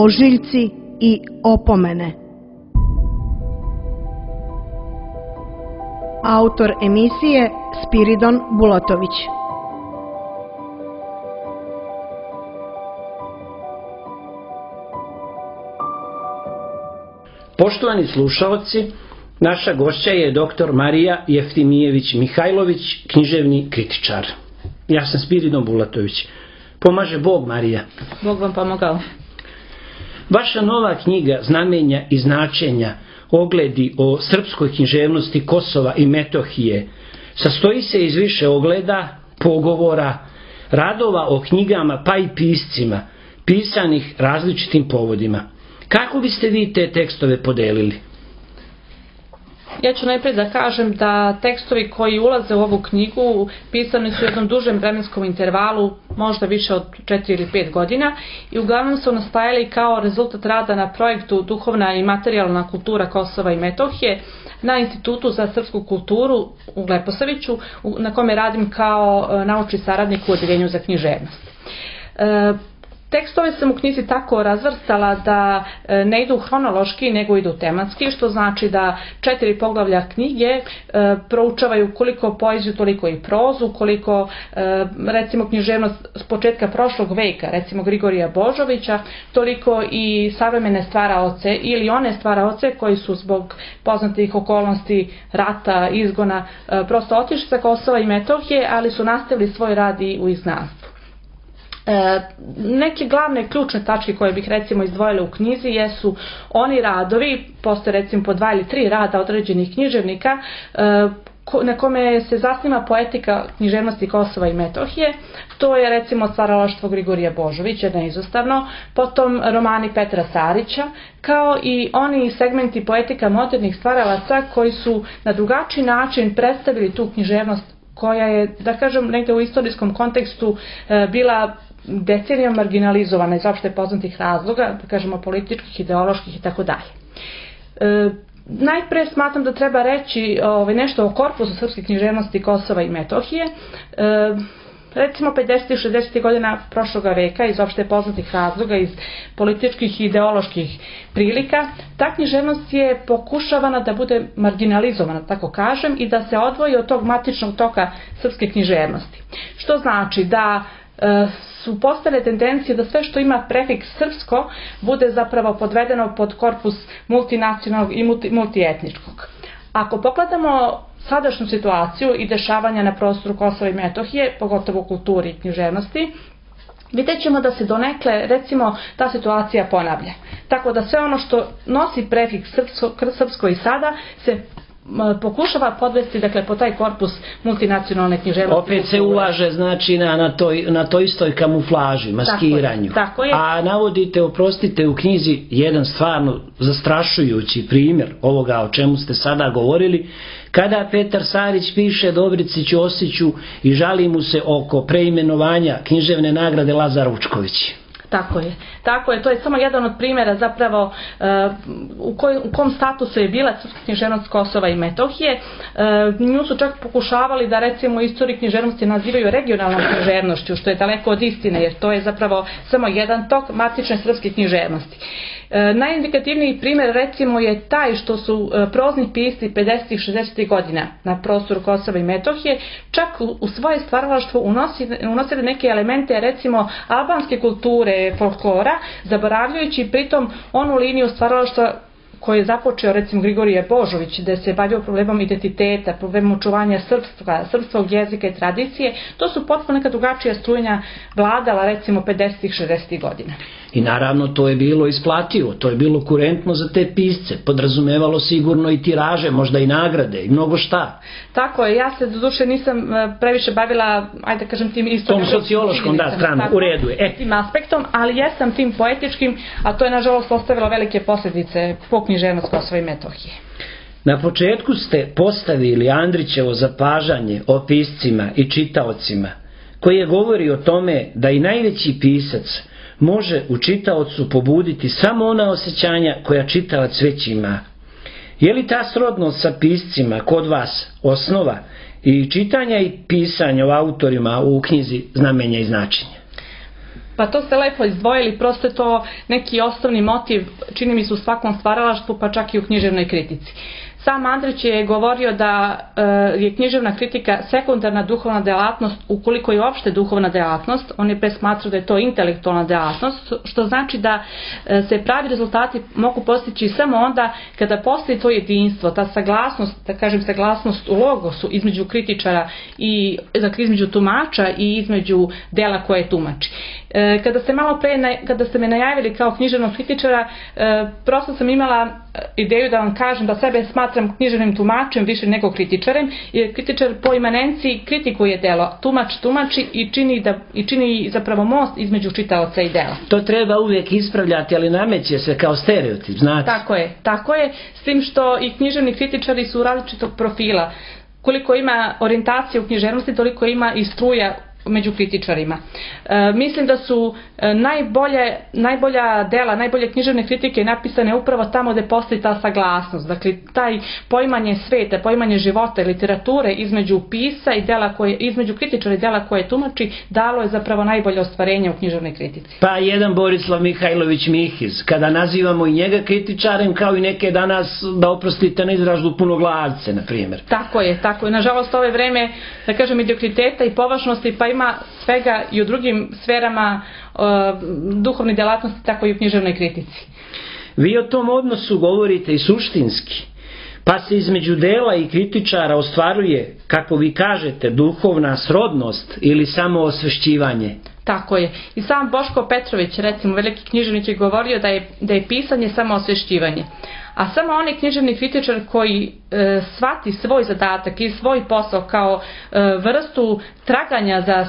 ožiljci i opomene. Autor emisije Spiridon Bulatović. Poštovani slušalci, naša gošća je dr. Marija Jeftimijević Mihajlović, književni kritičar. Ja sam Spiridon Bulatović. Pomaže Bog, Marija. Bog vam pomogao. Vaša nova knjiga Znamenja i značenja, ogledi o srpskoj književnosti Kosova i Metohije, sastoji se iz više ogleda, pogovora, radova o knjigama pa i piscima, pisanih različitim povodima. Kako biste vi te tekstove podelili? Ja ću najprije da kažem da tekstovi koji ulaze u ovu knjigu pisani su u jednom dužem vremenskom intervalu, možda više od 4 ili 5 godina, i uglavnom su nastajali kao rezultat rada na projektu Duhovna i materijalna kultura Kosova i Metohije na Institutu za srpsku kulturu u Leposaviću, na kome radim kao naučni saradnik u Odeljenju za književnost. Tekstove sam u knjizi tako razvrstala da ne idu hronološki, nego idu tematski, što znači da 4 poglavlja knjige proučavaju koliko poeziju, toliko i prozu, koliko recimo književnost s početka prošlog veka, recimo Grigorija Božovića, toliko i savremene stvaraoce ili one stvaraoce koji su zbog poznatih okolnosti rata, izgona, prosto otišli sa Kosova i Metohije, ali su nastavili svoj rad i u izgnanstvu. Neke glavne ključne tačke koje bih recimo izdvojila u knjizi jesu oni radovi, postoje recimo po 2 ili 3 rada određenih književnika na kome se zasniva poetika književnosti Kosova i Metohije. To je recimo stvaralaštvo Grigorija Božovića, neizostavno, potom romani Petra Sarića, kao i oni segmenti poetika modernih stvaralaca koji su na drugačiji način predstavili tu književnost koja je, da kažem, negde u istorijskom kontekstu bila decenijom marginalizovana iz opšte poznatih razloga, da kažemo političkih, ideoloških i tako dalje. Najpre smatram da treba reći nešto o korpusu srpske književnosti Kosova i Metohije. Recimo 50. i 60. godina prošloga veka iz opšte poznatih razloga, iz političkih i ideoloških prilika, ta književnost je pokušavana da bude marginalizovana, tako kažem, i da se odvoji od tog matičnog toka srpske književnosti. Što znači da su postale tendencije da sve što ima prefiks srpsko bude zapravo podvedeno pod korpus multinacionalnog i multietničkog. Ako pogledamo sadašnju situaciju i dešavanja na prostoru Kosova i Metohije, pogotovo u kulturi i književnosti, vidjet ćemo da se donekle, recimo, ta situacija ponavlja. Tako da sve ono što nosi prefiks srpsko i sada se pokušava podvesti, dakle, po taj korpus multinacionalne književnosti. Opet se ulaže, znači, na toj istoj kamuflaži, maskiranju. Tako je. A navodite, oprostite, u knjizi jedan stvarno zastrašujući primjer ovoga o čemu ste sada govorili, kada Petar Sarić piše Dobrici Ćosiću i žali mu se oko preimenovanja književne nagrade Lazar Vučković. Tako je, to je samo jedan od primjera zapravo u kom statusu je bila srpska književnost Kosova i Metohije. Nju su čak pokušavali da recimo istoriji književnosti nazivaju regionalnom književnošću, što je daleko od istine, jer to je zapravo samo jedan tok matične srpske književnosti. Najindikativniji primjer recimo je taj što su prozni pisci 50. i 60. godina na prostoru Kosova i Metohije čak u svoje stvaralaštvo unosili neke elemente recimo albanske kulture, folklora, zaboravljajući pritom onu liniju stvaralaštva koji je započeo recimo Grigorije Božović, da se bavio problemom identiteta, problemom očuvanja srpskog jezika i tradicije. To su potpuno neka drugačija strujenja vladala recimo 50. i 60. godina. I naravno to je bilo isplativo, to je bilo kurentno za te pisce, podrazumevalo sigurno i tiraže, možda i nagrade i mnogo šta. Tako je, ja se doduše nisam previše bavila, ajde da kažem, tim istorijskom, tom sociološkom stranu, u redu je. Tim aspektom, ali jesam tim poetičkim, a to je nažalost ostavilo velike posljedice po književnost Kosova i Metohije. Na početku ste postavili Andrićevo zapažanje o piscima i čitaocima, koje govori o tome da i najveći pisac može u čitaocu pobuditi samo ona osjećanja koja čitalac već ima. Je li ta srodnost sa piscima kod vas osnova i čitanja i pisanja o autorima u knjizi Znamenja i značenja? Pa to ste lepo izdvojili, prosto je to neki osnovni motiv, čini mi se u svakom stvaralaštvu, pa čak i u književnoj kritici. Sam Andrić je govorio da je književna kritika sekundarna duhovna delatnost, ukoliko je uopšte duhovna delatnost. On je pre smatrao da je to intelektualna delatnost, što znači da se pravi rezultati mogu postići samo onda kada postoji to jedinstvo, ta saglasnost, da kažem saglasnost u logosu između kritičara i dakle, između tumača i između dela koje tumači. Kada ste me najavili kao književnog kritičara, prosto sam imala ideju da vam kažem da sebe smatram književnim tumačem više nego kritičarem, jer kritičar po imanenciji kritikuje delo, tumač tumači i čini zapravo most između čitaoca i dela. To treba uvijek ispravljati, ali nameće se kao stereotip, znate. Tako je, s tim što i književni kritičari su različitog profila. Koliko ima orijentacije u književnosti, toliko ima i struja među kritičarima. Mislim da su najbolja dela, najbolje književne kritike napisane upravo tamo gde postoji ta saglasnost. Dakle, taj poimanje sveta, poimanje života i literature između pisa i dela između kritičara i dela koje tumači, dalo je zapravo najbolje ostvarenje u književnoj kritici. Pa jedan Borislav Mihajlović Mihiz, kada nazivamo i njega kritičarem, kao i neke danas, da oprostite na izrazu, punoglavce, na primjer. Tako je. Nažalost, ove vreme, da kažem, mediokriteta i površnosti, pa ima svega i u drugim sferama duhovne delatnosti, tako i u književnoj kritici. Vi o tom odnosu govorite i suštinski, pa se između dela i kritičara ostvaruje, kako vi kažete, duhovna srodnost ili samo osvešćivanje. Tako je. I sam Boško Petrović, recimo veliki književnik, je govorio da je pisanje samo osvešćivanje. A samo onaj književni kritičar koji shvati svoj zadatak i svoj posao kao vrstu traganja za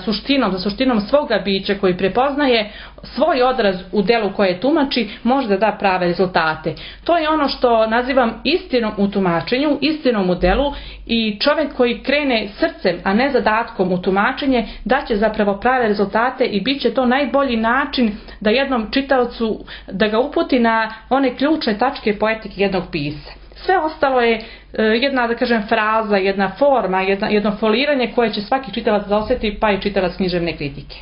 suštinom svoga bića, koji prepoznaje svoj odraz u delu koje tumači, može da da prave rezultate. To je ono što nazivam istinom u tumačenju, istinom u delu, i čovjek koji krene srcem, a ne zadatkom u tumačenje, daće zapravo prave rezultate i bit će to najbolji način da jednom čitaocu, da ga uputi na one ključne tačke poetike jednog pisca. Sve ostalo je jedna, da kažem, fraza, jedna forma, jedno foliranje koje će svaki čitalac da osjeti, pa i čitalac književne kritike.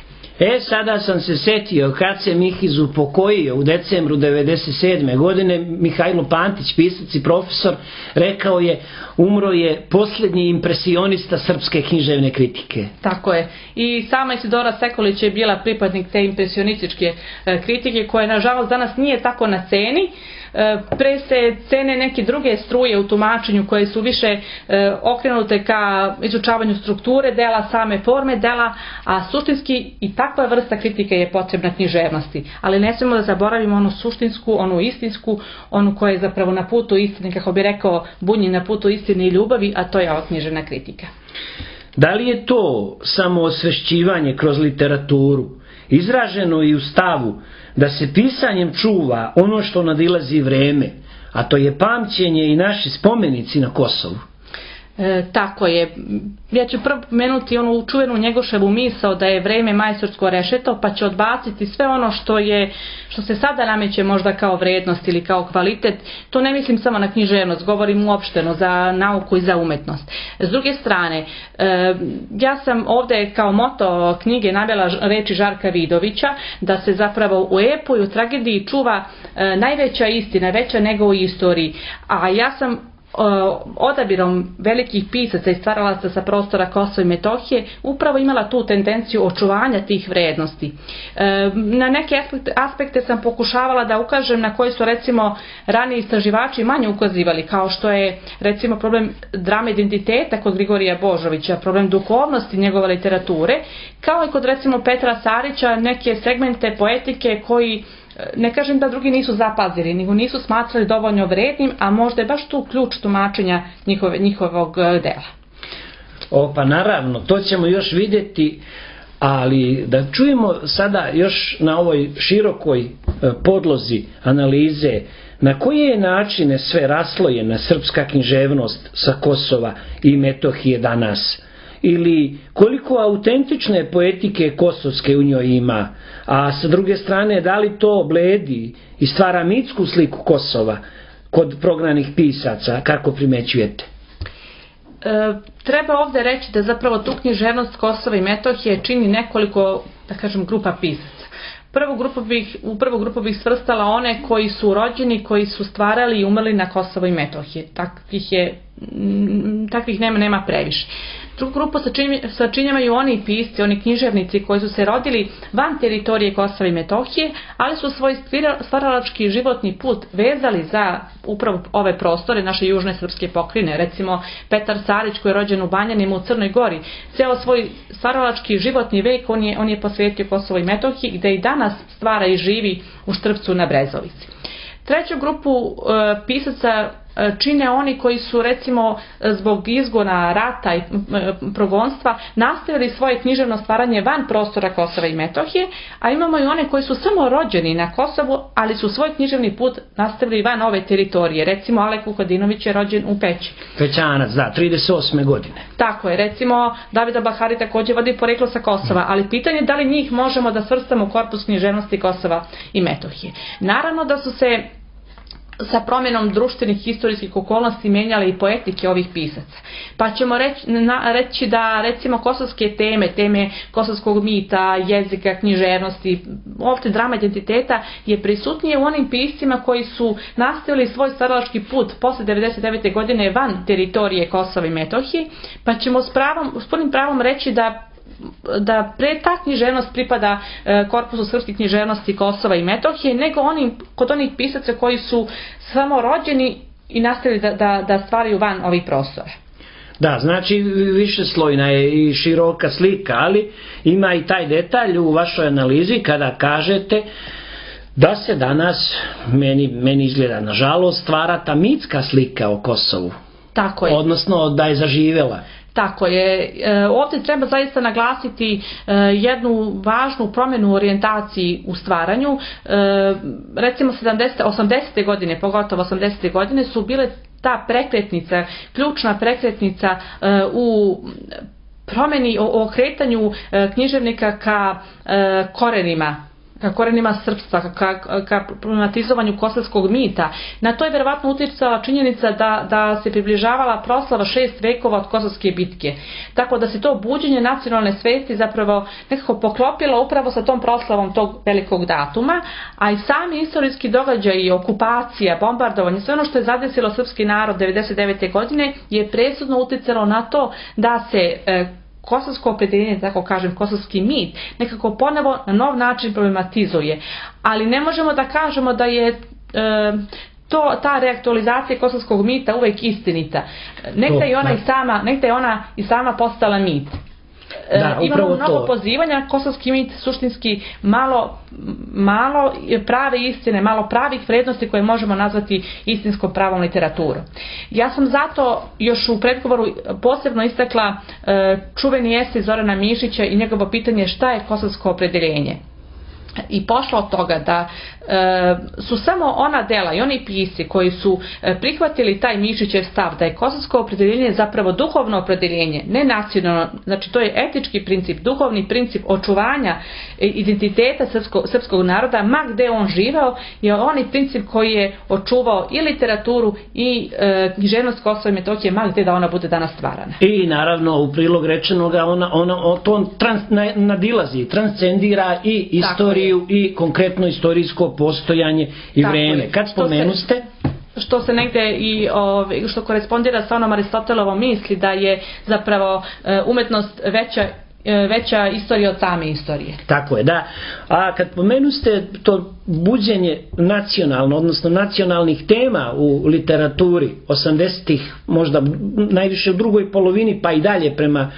Sada sam se setio kad se Mihiz upokojio u decembru 1997. godine, Mihajlo Pantić, pisac i profesor, rekao je: umro je posljednji impresionista srpske književne kritike. Tako je. I sama Isidora Sekulić je bila pripadnik te impresionističke kritike, koja nažalost danas nije tako na ceni. Pre se cene neke druge struje u tumačenju koje su više okrenute ka izučavanju strukture dela, same forme dela, a suštinski i takva vrsta kritike je potrebna književnosti. Ali ne smemo da zaboravimo onu suštinsku, onu istinsku, onu koja je zapravo na putu istine, kako bi rekao Bunjin, na putu istine i ljubavi, a to je ova književna kritika. Da li je to samo osvešćivanje kroz literaturu, izraženo i u stavu da se pisanjem čuva ono što nadilazi vreme, a to je pamćenje i naši spomenici na Kosovu? Tako je. Ja ću prvo pomenuti onu čuvenu Njegoševu misao da je vreme majstorsko rešeto, pa će odbaciti sve ono što se sada nameće možda kao vrednost ili kao kvalitet. To ne mislim samo na književnost, govorim uopšteno za nauku i za umetnost. S druge strane, ja sam ovde kao moto knjige navela reči Žarka Vidovića, da se zapravo u epu i u tragediji čuva najveća istina, veća nego u istoriji. A ja sam odabirom velikih pisaca i stvaralaca sa prostora Kosova i Metohije upravo imala tu tendenciju očuvanja tih vrednosti. Na neke aspekte sam pokušavala da ukažem na koje su recimo raniji istraživači manje ukazivali, kao što je recimo problem drame identiteta kod Grigorija Božovića, problem duhovnosti njegove literature, kao i kod recimo Petra Sarića neke segmente poetike koji, ne kažem da drugi nisu zapazili, nego nisu smatrali dovoljno vrednim, a možda je baš tu ključ tumačenja njihovog dela. Pa naravno, to ćemo još vidjeti, ali da čujemo sada još na ovoj širokoj podlozi analize na koje načine sve raslojena srpska književnost sa Kosova i Metohije danas, ili koliko autentične poetike kosovske u njoj ima, a sa druge strane da li to bledi i stvara mitsku sliku Kosova kod prognanih pisaca, kako primećujete? Treba ovde reći da zapravo tu književnost Kosova i Metohije čini nekoliko, da kažem, grupa pisaca. U prvu grupu bih svrstala one koji su rođeni, koji su stvarali i umrli na Kosovo i Metohiji. Takvih nema previše. Drugu grupu sačinjavaju oni pisci, oni književnici koji su se rodili van teritorije Kosova i Metohije, ali su svoj stvaralački životni put vezali za upravo ove prostore naše južne srpske pokrajine. Recimo Petar Sarić koji je rođen u Banjanima u Crnoj Gori, ceo svoj stvaralački životni vek on je posvetio Kosovo i Metohiji, gde i danas stvara i živi u Štrpcu na Brezovici. Treću grupu pisaca čine oni koji su recimo zbog izgona, rata i progonstva nastavili svoje književno stvaranje van prostora Kosova i Metohije, a imamo i one koji su samo rođeni na Kosovu, ali su svoj književni put nastavili van ove teritorije. Recimo Alek Vukadinović je rođen u Peći. Pećanac, da, 38. godine. Tako je, recimo Davida Bahari također vodi poreklo sa Kosova, ali pitanje je da li njih možemo da svrstamo u korpus književnosti Kosova i Metohije. Naravno da su se sa promjenom društvenih historijskih okolnosti menjale i poetike ovih pisaca. Pa ćemo reći da recimo kosovske teme kosovskog mita, jezika, književnosti, uopšte drama identiteta je prisutnije u onim piscima koji su nastavili svoj stvaralački put posle 1999. godine van teritorije Kosova i Metohije, pa ćemo s punim pravom reći da pre ta književnost pripada korpusu srpske književnosti Kosova i Metohije, nego kod onih pisaca koji su samo rođeni i nastavili da stvaraju van ovih prostora. Da, znači višeslojna je i široka slika, ali ima i taj detalj u vašoj analizi kada kažete da se danas, meni izgleda nažalost, stvara ta mitska slika o Kosovu. Tako je. Odnosno da je zaživjela. Tako je. Ovdje treba zaista naglasiti jednu važnu promjenu u orijentaciji u stvaranju. Recimo 80. godine, pogotovo 80. godine su bile ta prekretnica, ključna prekretnica u promjeni, o okretanju književnika ka korenima srpstva, ka problematizovanju kosovskog mita. Na to je verovatno utjecala činjenica da se približavala proslava 6 vekova od Kosovske bitke. Tako da se to buđenje nacionalne svesti zapravo nekako poklopilo upravo sa tom proslavom tog velikog datuma, a i sami istorijski događaj, okupacija, bombardovanje, sve ono što je zadesilo srpski narod 1999. godine je presudno utjecalo na to da se kosovsko opredeljenje, tako kažem, kosovski mit, nekako ponovo na nov način problematizuje. Ali ne možemo da kažemo da je ta reaktualizacija kosovskog mita uvek istinita. Negde je ona i sama postala mit. Imamo mnogo pozivanja, kosovski mit suštinski malo prave istine, malo pravih vrednosti koje možemo nazvati istinskom pravom literaturom. Ja sam zato još u predgovoru posebno istakla čuveni esej Zorana Mišića i njegovo pitanje šta je kosovsko opredeljenje. I pošlo od toga da su samo ona dela i oni pisci koji su prihvatili taj Mišićev stav da je kosovsko opredeljenje zapravo duhovno opredeljenje, ne nacionalno, znači to je etički princip, duhovni princip očuvanja identiteta srpskog naroda, ma gde on živeo, je onaj princip koji je očuvao i literaturu i književnost Kosova i Metohije, ma gde da ona bude danas stvarana. I naravno u prilog rečenoga to nadilazi, transcendira i istoriju i konkretno istorijsko postojanje i vreme. Kad spomenuste? Što se negde i što korespondira sa onom Aristotelovom misli da je zapravo umetnost veća istorija od same istorije. Tako je, da. A kad pomenuste to buđenje nacionalno, odnosno nacionalnih tema u literaturi 80-ih, možda najviše u drugoj polovini, pa i dalje prema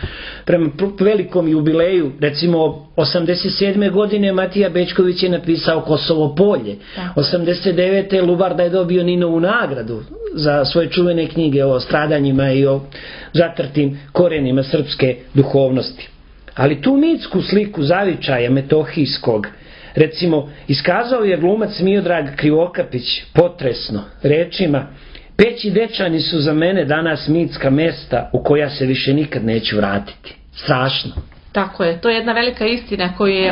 velikom jubileju, recimo 87. godine Matija Bećković je napisao Kosovo polje. 89. Lubarda je dobio Ninovu nagradu za svoje čuvene knjige o stradanjima i o zatrtim korenima srpske duhovnosti. Ali tu mitsku sliku zavičaja metohijskog, recimo, iskazao je glumac Miodrag Krivokapić potresno rečima: Peć i Dečani su za mene danas mitska mesta u koja se više nikad neću vratiti. Strašno. Tako je, to je jedna velika istina koju je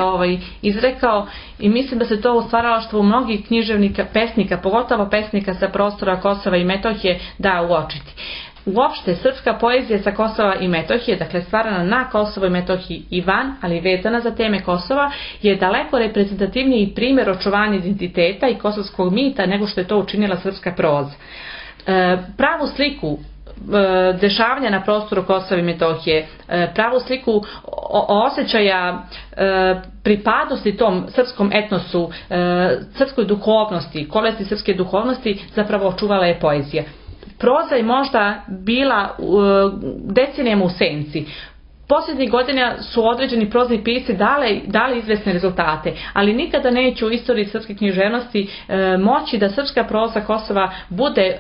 izrekao i mislim da se to u stvaralaštvu mnogih književnika, pesnika, pogotovo pesnika sa prostora Kosova i Metohije da uočiti. uopšte srpska poezija sa Kosova i Metohije, dakle stvarana na Kosovo i Metohiji i van, ali vezana za teme Kosova, je daleko reprezentativniji primjer očuvanja identiteta i kosovskog mita nego što je to učinila srpska proza. Pravu sliku dešavanja na prostoru Kosova i Metohije, pravu sliku osjećaja pripadnosti tom srpskom etnosu, srpskoj duhovnosti, kolesti srpske duhovnosti zapravo očuvala je poezija. Proza je možda bila decenijama u senci. Posljednjih godina su određeni prozni pisci dali izvesne rezultate, ali nikada neće u istoriji srpske književnosti moći da srpska proza Kosova bude,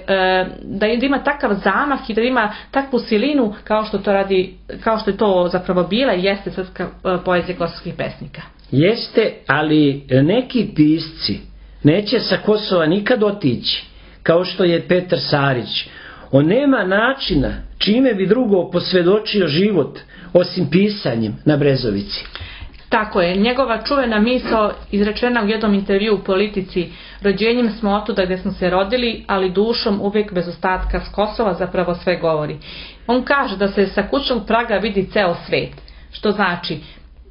da ima takav zamah i da ima takvu silinu kao što je to zapravo bila i jeste srpska poezija kosovskih pesnika. Jeste, ali neki pisci neće sa Kosova nikad otići, kao što je Petar Sarić. On nema načina čime bi drugo posvjedočio život osim pisanjem na Brezovici. Tako je, njegova čuvena misao izrečena u jednom intervju u Politici: rođenjem smo otuda gdje smo se rodili, ali dušom uvijek bez ostatka s Kosova zapravo sve govori. On kaže da se sa kućnog praga vidi ceo svet, što znači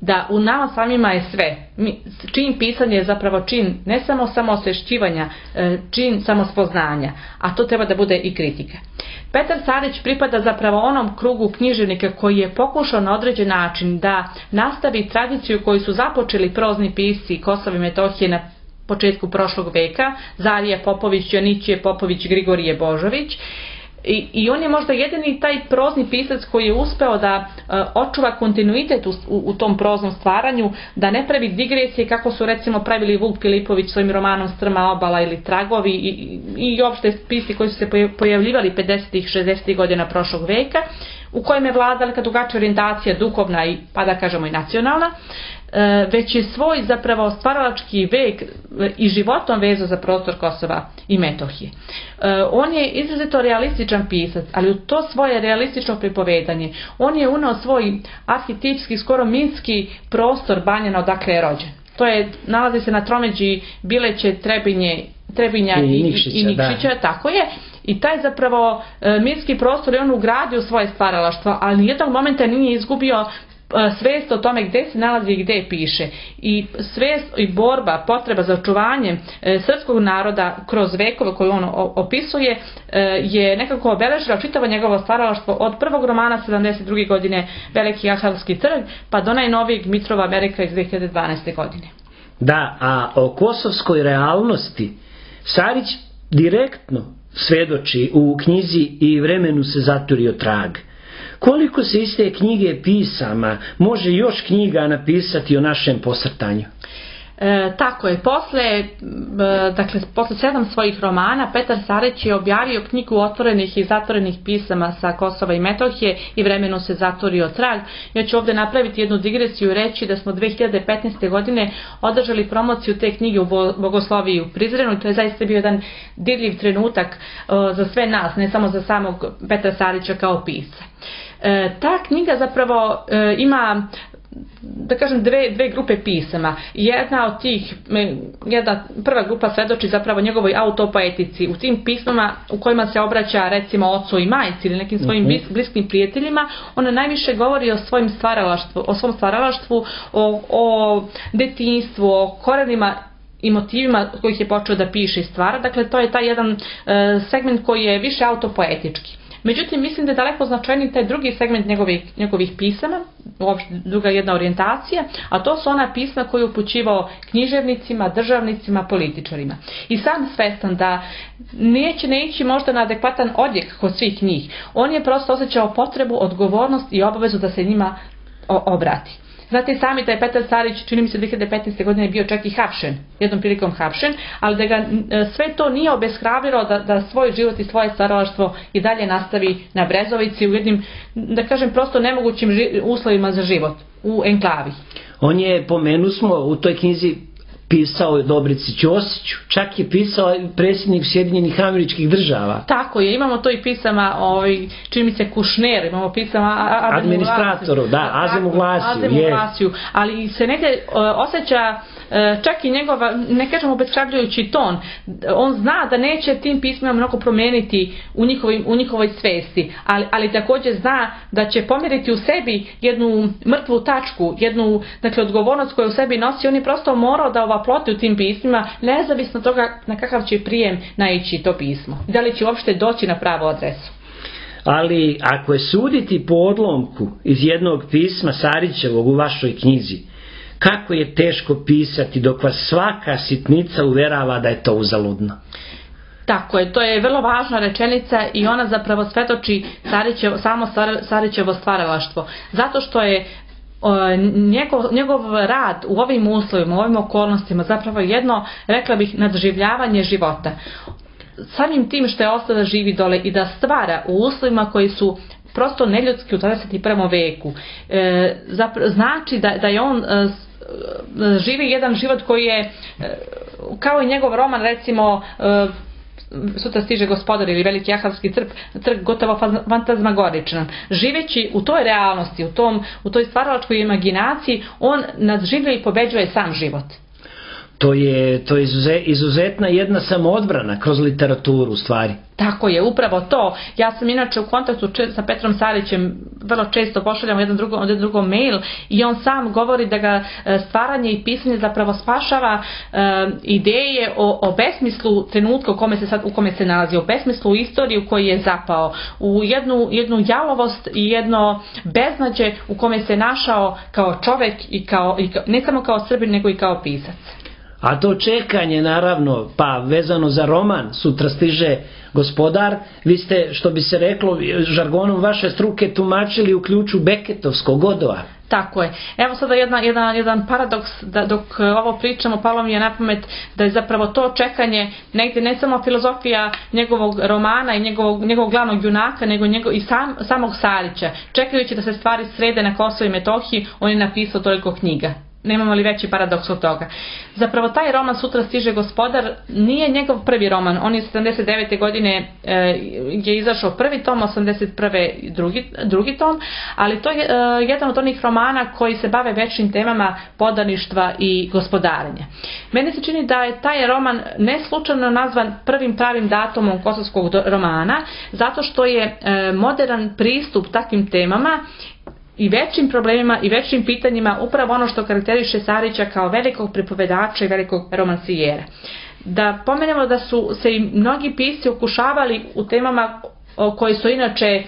da u nama samima je sve. Čin pisanja je zapravo čin ne samo samoosvešćivanja, čin samospoznanja, a to treba da bude i kritika. Petar Sarić pripada zapravo onom krugu književnika koji je pokušao na određen način da nastavi tradiciju koju su započeli prozni pisci Kosova i Metohije na početku prošlog veka: Zarije Popović, Janićije Popović, Grigorije Božović. I on je možda jedini taj prozni pisac koji je uspeo da očuva kontinuitet u tom proznom stvaranju, da ne pravi digresije kako su recimo pravili Vuk Filipović svojim romanom Strma obala ili Tragovi i opšte pisci koji su se pojavljivali 50-ih, 60-ih godina prošlog veka, u kojem je vladala drugačija orijentacija duhovna i, pa da kažemo, i nacionalna, već je svoj zapravo stvaralački vek i životom vezao za prostor Kosova i Metohije. On je izrazito realističan pisac, ali u to svoje realistično pripovedanje on je uneo svoj arhetipski, skoro mitski prostor Banjana odakle je rođen. To je, nalazi se na tromeđi Bileće, Trebinja i Nikšića, tako je. I taj zapravo mitski prostor je on ugradio u svoje stvaralaštvo, ali nijednog momenta nije izgubio svijest o tome gdje se nalazi i gdje piše. I svijest i borba, potreba za očuvanjem srpskog naroda kroz vekove koje on opisuje je nekako obeležila čitavo njegovo stvaralaštvo od prvog romana 72. godine Veliki Ahalski trg pa do najnovijeg Mitrova Amerika iz 2012. godine. Da, a o kosovskoj realnosti Sarić direktno svedoči u knjizi I vremenu se zaturio trag. Koliko se iz te knjige pisama može još knjiga napisati o našem posrtanju? Tako je, posle 7 svojih romana Petar Sarić je objavio knjigu otvorenih i zatvorenih pisama sa Kosova i Metohije I vremenu se zaturio trag. Ja ću ovdje napraviti jednu digresiju i reći da smo 2015. godine održali promociju te knjige u Bogosloviji u Prizrenu i to je zaista bio jedan dirljiv trenutak za sve nas, ne samo za samog Petra Sarića kao pisca. Ta knjiga zapravo ima, da kažem, dve grupe pisama. Jedna od tih, prva grupa svedoči zapravo njegovoj autopoetici. U tim pismama u kojima se obraća recimo ocu i majci ili nekim svojim bliskim prijateljima, ona najviše govori o svom stvaralaštvu, o detinjstvu, o korenima i motivima kojih je počeo da piše i stvara. Dakle, to je taj jedan segment koji je više autopoetički. Međutim, mislim da je daleko značajniji taj drugi segment njegovih pisama, uopšte druga jedna orijentacija, a to su ona pisma koje je upućivao književnicima, državnicima, političarima. I sam svestan da neće ići možda na adekvatan odjek kod svih njih. On je prosto osjećao potrebu, odgovornost i obavezu da se njima obrati. Znate sami da je Petar Sarić, čini mi se 2015. godine bio čak i hapšen, jednom prilikom hapšen, ali da ga sve to nije obeshrabrilo da svoj život i svoje stvaralaštvo i dalje nastavi na Brezovici u jednim, da kažem, prosto nemogućim uslovima za život, u enklavi. On je, pomenusmo, u toj knjizi pisao Dobrici Ćosiću, čak je pisao predsjednik Sjedinjenih Američkih Država. Tako je, imamo to i pisama, čini mi se Kušner, imamo pisama administratoru, da, Azemu Vlasiju. Ali se negdje osjeća čak i njegova, ne kažemo obeshrabrujući ton, on zna da neće tim pismima mnogo promijeniti u njihovoj svesti, ali također zna da će pomjeriti u sebi jednu mrtvu tačku, jednu, dakle, odgovornost koju u sebi nosi. On je prosto morao da ovaploti u tim pismima, nezavisno od toga na kakav će prijem naići to pismo, da li će uopšte doći na pravu adresu. Ali ako je suditi po odlomku iz jednog pisma Sarićevog u vašoj knjizi, kako je teško pisati dok vas svaka sitnica uverava da je to uzaludno. Tako je, to je vrlo važna rečenica i ona zapravo svetoči samo Sarićevo stvaralaštvo. Zato što je njegov rad u ovim uslovima, u ovim okolnostima zapravo jedno, rekla bih, nadživljavanje života. Samim tim što je ostao da živi dole i da stvara u uslovima koji su prosto neljudski u 21. veku, znači da je on živi jedan život koji je, kao i njegov roman, recimo Sutra stiže gospodar ili Veliki Ahavski trg, gotovo fantazmagoričan. Živeći u toj realnosti, u toj stvaralačkoj imaginaciji, on nadživlja i pobeđuje sam život. To je izuzetna jedna samoodbrana kroz literaturu u stvari. Tako je, upravo to. Ja sam inače u kontaktu sa Petrom Sarićem, vrlo često pošaljamo jedan drugom mail i on sam govori da ga stvaranje i pisanje zapravo spašava ideje o besmislu trenutka u kome se nalazi, o besmislu istoriji u kojoj je zapao, u jednu jalovost i jedno beznađe u kome se našao kao čovjek i ne samo kao Srbin nego i kao pisac. A to čekanje, naravno, pa vezano za roman Sutra stiže gospodar, vi ste, što bi se reklo žargonom vaše struke, tumačili u ključu Beketovskog Godova. Tako je. Evo sada jedan paradoks, da dok ovo pričamo, palo mi je na pamet da je zapravo to čekanje negdje ne samo filozofija njegovog romana i njegovog glavnog junaka, nego i samog Sarića. Čekajući da se stvari srede na Kosovu i Metohiji, on je napisao toliko knjiga. Nemamo li veći paradoks od toga? Zapravo taj roman Sutra stiže gospodar nije njegov prvi roman. On je 79. godine je izašao prvi tom, 81. drugi tom, ali to je jedan od onih romana koji se bave večnim temama podaništva i gospodarenja. Meni se čini da je taj roman ne slučajno nazvan prvim pravim datumom kosovskog romana, zato što je modern pristup takvim temama i većim problemima i većim pitanjima upravo ono što karakteriše Sarića kao velikog pripovedača i velikog romansijera. Da pomenemo da su se i mnogi pisci okušavali u temama koji su inače,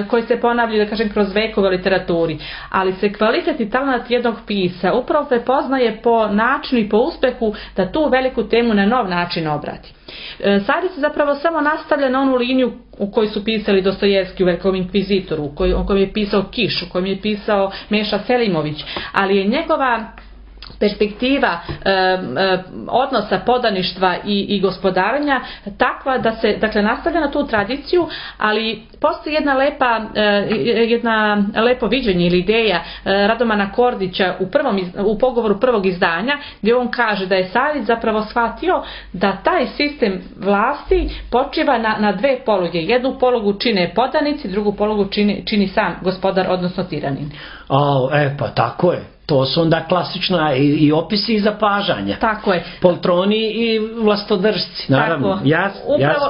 koji se ponavljaju, da kažem, kroz vekove u literaturi, ali se kvalitet i talent jednog pisca upravo prepoznaje po načinu i po uspehu da tu veliku temu na nov način obrati. Sarić se zapravo samo nastavlja na onu liniju u kojoj su pisali Dostojevski u Velikom inkvizitoru, u kojem je pisao Kiš, u kojem je pisao Meša Selimović, ali je njegova perspektiva odnosa podaništva i gospodarenja takva da se, dakle, nastavlja na tu tradiciju, ali postoji jedna lepo viđenje ili ideja Radomana Kordića u pogovoru prvog izdanja, gdje on kaže da je Sarić zapravo shvatio da taj sistem vlasti počiva na dve poluge. Jednu polugu čine podanici, drugu polugu čini sam gospodar, odnosno tiranin. Pa tako je. To su onda klasična i opisi i zapažanja. Tako je. Poltroni i vlastodržci, naravno. Jasno.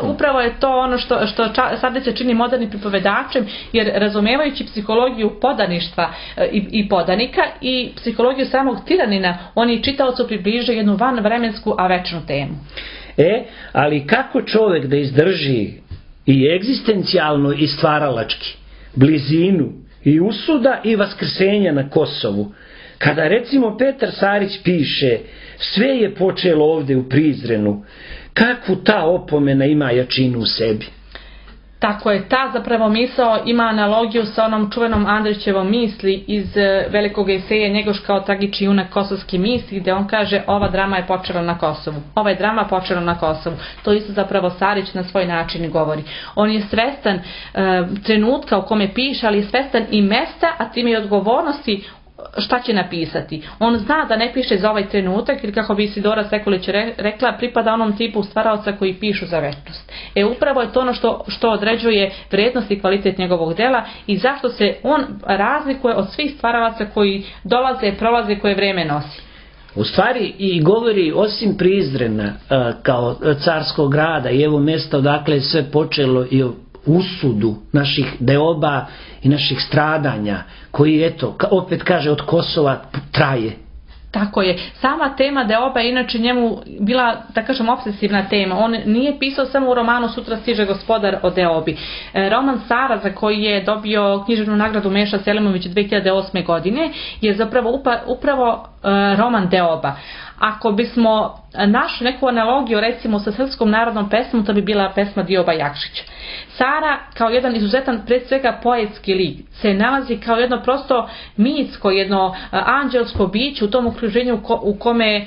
Upravo je to ono što Sarić se čini modernim pripovedačem, jer razumevajući psihologiju podaništva i podanika i psihologiju samog tiranina, oni čitaocu približe jednu vanvremensku, a večnu temu. Ali kako čovjek da izdrži i egzistencijalno i stvaralački blizinu i usuda i vaskrsenja na Kosovu, kada recimo Petar Sarić piše sve je počelo ovdje u Prizrenu, kakvu ta opomena ima jačinu u sebi? Tako je, ta zapravo misao ima analogiju sa onom čuvenom Andrićevom misli iz velikog eseja Njegoš kao tragični junak kosovske misli, gdje on kaže ova drama je počela na Kosovu. Ova je drama počela na Kosovu. To isto zapravo Sarić na svoj način govori. On je svestan trenutka u kome piše, ali je svestan i mesta, a time i odgovornosti šta će napisati. On zna da ne piše za ovaj trenutak, ili kako bi Isidora Sekulić rekla, pripada onom tipu stvaraoca koji pišu za večnost. Upravo je to ono što određuje vrijednost i kvalitet njegovog dela i zašto se on razlikuje od svih stvaralaca koji dolaze, prolaze, koje vrijeme nosi. U stvari i govori osim Prizrena kao carskog grada i evo mjesta odakle je sve počelo i o usudu naših deoba i naših stradanja koji eto opet kaže od Kosova traje. Tako je. Sama tema deoba je inače njemu bila, da kažem, obsesivna tema. On nije pisao samo u romanu Sutra stiže gospodar o deobi. Roman Sara, za koji je dobio književnu nagradu Meša Selimović 2008. godine, je zapravo upravo roman deoba. Ako bismo našli neku analogiju recimo sa srpskom narodnom pesmom, to bi bila pesma Dioba Jakšića. Sara kao jedan izuzetan, pred svega poetski lik, se nalazi kao jedno prosto mitsko, jedno anđelsko biće u tom okruženju u kome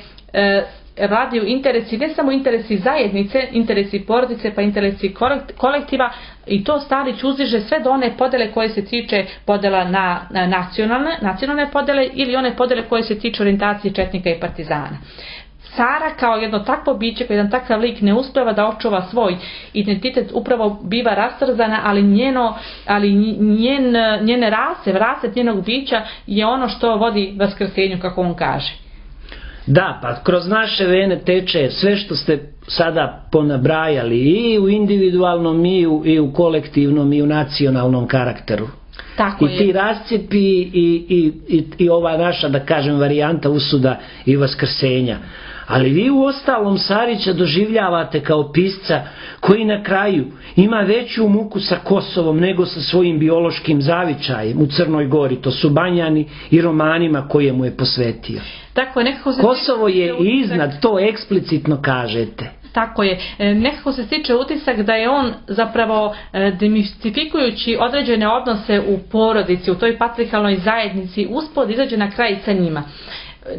vladaju interesi, ne samo interesi zajednice, interesi porodice, pa interesi kolektiva, i to Starić uzdiže sve do one podele koje se tiče podela na nacionalne podele ili one podele koje se tiču orijentacije četnika i partizana. Sara kao jedno takvo biće, kao jedan takav lik ne uspeva da očuva svoj identitet, upravo biva rastrzana, ali njene raset njenog bića je ono što vodi vaskrsenju, kako on kaže. Da, pa kroz naše vene teče sve što ste sada ponabrajali i u individualnom i u kolektivnom i u nacionalnom karakteru. Tako I ti rascijepi i ova naša, da kažem, varijanta usuda i vaskrsenja. Ali vi u ostalom Sarića doživljavate kao pisca koji na kraju ima veću muku sa Kosovom nego sa svojim biološkim zavičajem u Crnoj Gori. To su Banjani i romanima koje mu je posvetio. Tako je, Kosovo je iznad, to eksplicitno kažete. Tako je. Nekako se stiče utisak da je on zapravo demistifikujući određene odnose u porodici, u toj patriarhalnoj zajednici, uspod izađe na kraj sa njima.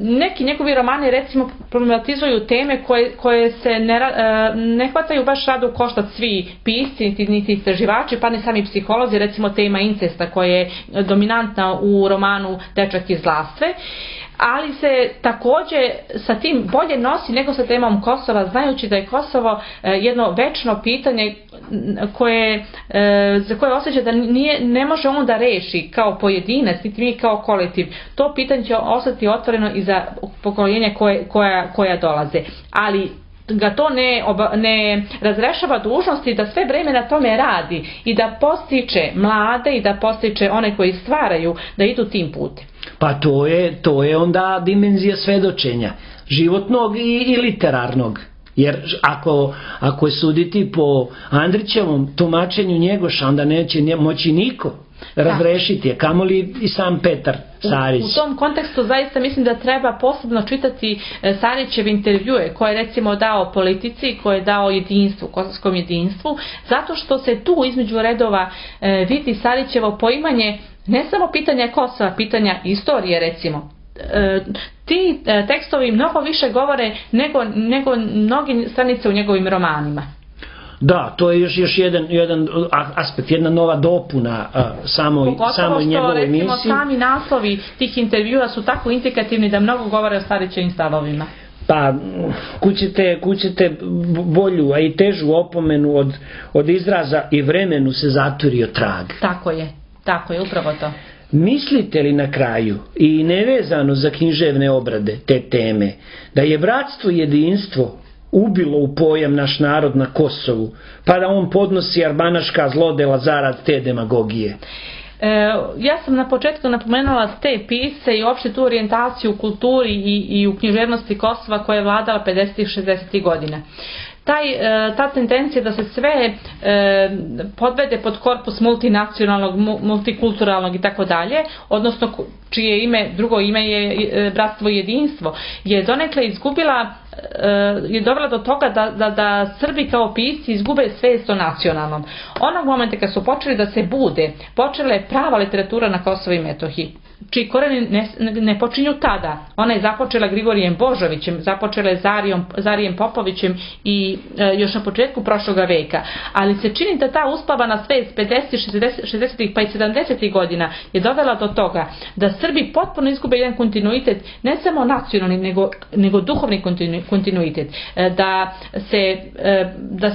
Neki njegovi romani recimo problematizuju teme koje se ne hvataju baš rado u koštac svi pisci, niti istraživači, pa ni sami psiholozi, recimo tema incesta koja je dominantna u romanu Dečak iz Lastve. Ali se također sa tim bolje nosi nego sa temom Kosova, znajući da je Kosovo jedno večno pitanje za koje osjeća da ne može on da reši kao pojedinac, niti mi kao kolektiv. To pitanje će ostati otvoreno i za pokoljenja koja dolaze. Ali ga to ne razrešava dužnosti da sve vreme na tome radi i da postiče mlade i da postiče one koji stvaraju da idu tim putem. Pa to je onda dimenzija svedočenja, životnog i literarnog. Jer ako je suditi po Andrićevom tumačenju Njegoša, onda neće moći niko razrešiti je, kamoli i sam Petar Sarić. U tom kontekstu zaista mislim da treba posebno čitati Sarićeve intervjue koje je recimo dao Politici, koje je dao jedinstvu, kosovskom jedinstvu, zato što se tu između redova vidi Sarićevo poimanje ne samo pitanja Kosova, pitanja istorije recimo. Ti tekstovi mnogo više govore nego mnogi stranice u njegovim romanima. Da, to je još jedan aspekt, jedna nova dopuna samoj njegovoj emisiji. Pogotovo što sami naslovi tih intervjua su tako indikativni da mnogo govore o Starićevim stavovima. Pa kućete bolju, a i težu opomenu od izraza i vremenu se zaturio trag. Tako je, upravo to. Mislite li na kraju, i nevezano za književne obrade te teme, da je bratstvo i jedinstvo ubilo u pojam naš narod na Kosovu, pa da on podnosi arbanaška zlodela zarad te demagogije? Ja sam na početku napomenula te pisce i uopšte tu orijentaciju u kulturi i u književnosti Kosova koja je vladala 50. i 60. godina. Ta tendencija da se sve podvede pod korpus multinacionalnog, multikulturalnog i tako dalje, odnosno čije drugo ime je bratstvo i jedinstvo, je donekle izgubila, je dovela do toga da Srbi kao pisci izgube svest o nacionalnom. Onog momenta kad su počeli da se bude, počela je prava literatura na Kosovu i Metohiji, čiji koreni ne počinju tada. Ona je započela Grigorijem Božovićem, započela je Zarijem Popovićem i još na početku prošloga veka. Ali se čini da ta uspavana svest 50, 60 pa i 70 godina je dovela do toga da Srbi potpuno izgube jedan kontinuitet, ne samo nacionalni, nego duhovni kontinuitet. Da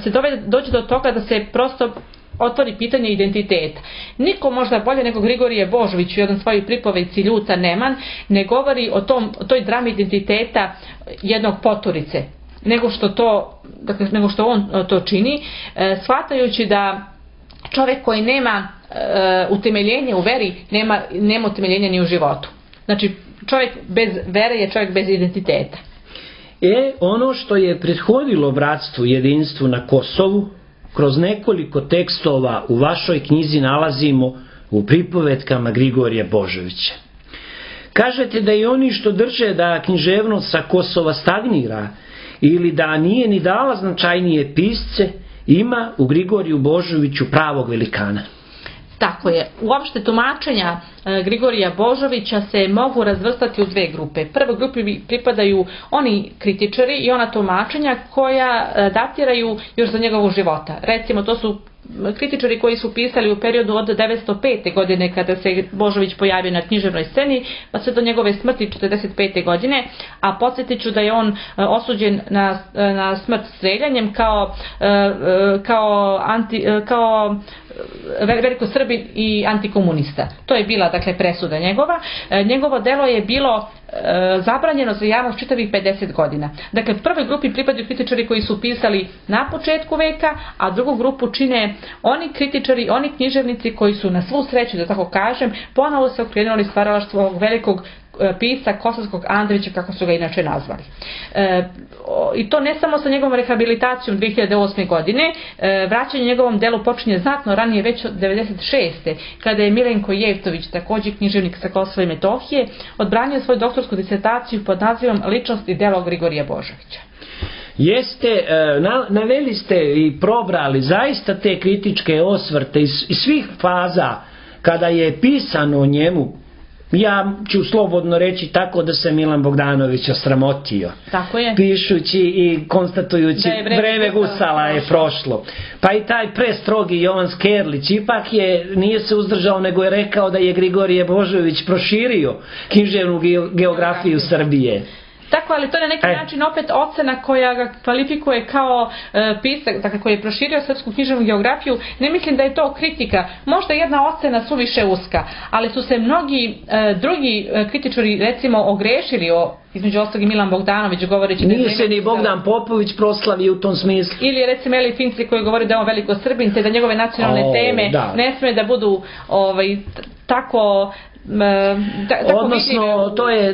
se dođe do toga da se prosto otvori pitanje identiteta. Niko možda bolje nego Grigorije Božović u jednom svojoj pripovedci Ljuta Neman ne govori o toj drami identiteta jednog poturice, nego što on to čini, shvatajući da čovjek koji nema utemeljenje u veri, nema utemeljenja ni u životu. Znači, čovjek bez vere je čovjek bez identiteta. Ono što je prethodilo bratstvu i jedinstvu na Kosovu, kroz nekoliko tekstova u vašoj knjizi nalazimo u pripovetkama Grigorija Božovića. Kažete da i oni što drže da književnost sa Kosova stagnira ili da nije ni dala značajnije pisce, ima u Grigoriju Božoviću pravog velikana. Tako je. Uopšte tumačenja Grigorija Božovića se mogu razvrstati u dve grupe. Prvoj grupi pripadaju oni kritičari i ona tumačenja koja datiraju još za njegovog života. Recimo, to su kritičari koji su pisali u periodu od 905. godine kada se Božović pojavio na književnoj sceni, pa sve do njegove smrti 45. godine, a podsjetit ću da je on osuđen na smrt streljanjem kao velikosrbin i antikomunista. To je bila, dakle, presuda njegova. Njegovo delo je bilo zabranjeno za javnost čitavih 50 godina. Dakle, prvoj grupi pripadaju kritičari koji su pisali na početku veka, a drugu grupu čine oni kritičari, oni književnici koji su na svu sreću, da tako kažem, ponovo se okrenuli stvaralaštvu ovog velikog pisca Kosovskog Andrića, kako su ga inače nazvali. I to ne samo sa njegovom rehabilitacijom 2008. godine, vraćanje njegovom delu počinje znatno ranije, već od 1996. kada je Milenko Jevtović, također književnik sa Kosova i Metohije, odbranio svoju doktorsku disertaciju pod nazivom Ličnost i delo Grigorija Božovića. Jeste, naveli ste i probrali zaista te kritičke osvrte iz svih faza kada je pisano o njemu. Ja ću slobodno reći tako da se Milan Bogdanović osramotio. Tako je. Pišući i konstatujući vreme Gusala je prošlo. Pa i taj prestrogi Jovan Skerlić ipak nije se uzdržao, nego je rekao da je Grigorije Božović proširio književnu geografiju Srbije. Tako, ali to je na neki način opet ocena koja ga kvalifikuje kao pisac, dakle, koji je proširio srpsku književnu geografiju. Ne mislim da je to kritika, možda jedna ocena suviše uska, ali su se mnogi drugi kritičari, recimo, ogrešili između ostalog i Milan Bogdanović govoreći... Nije se ni Bogdan Popović proslavio u tom smislu. Ili recimo Eli Finci koji govori da je on veliko Srbin, te da njegove nacionalne teme ne sme da budu tako... Odnosno,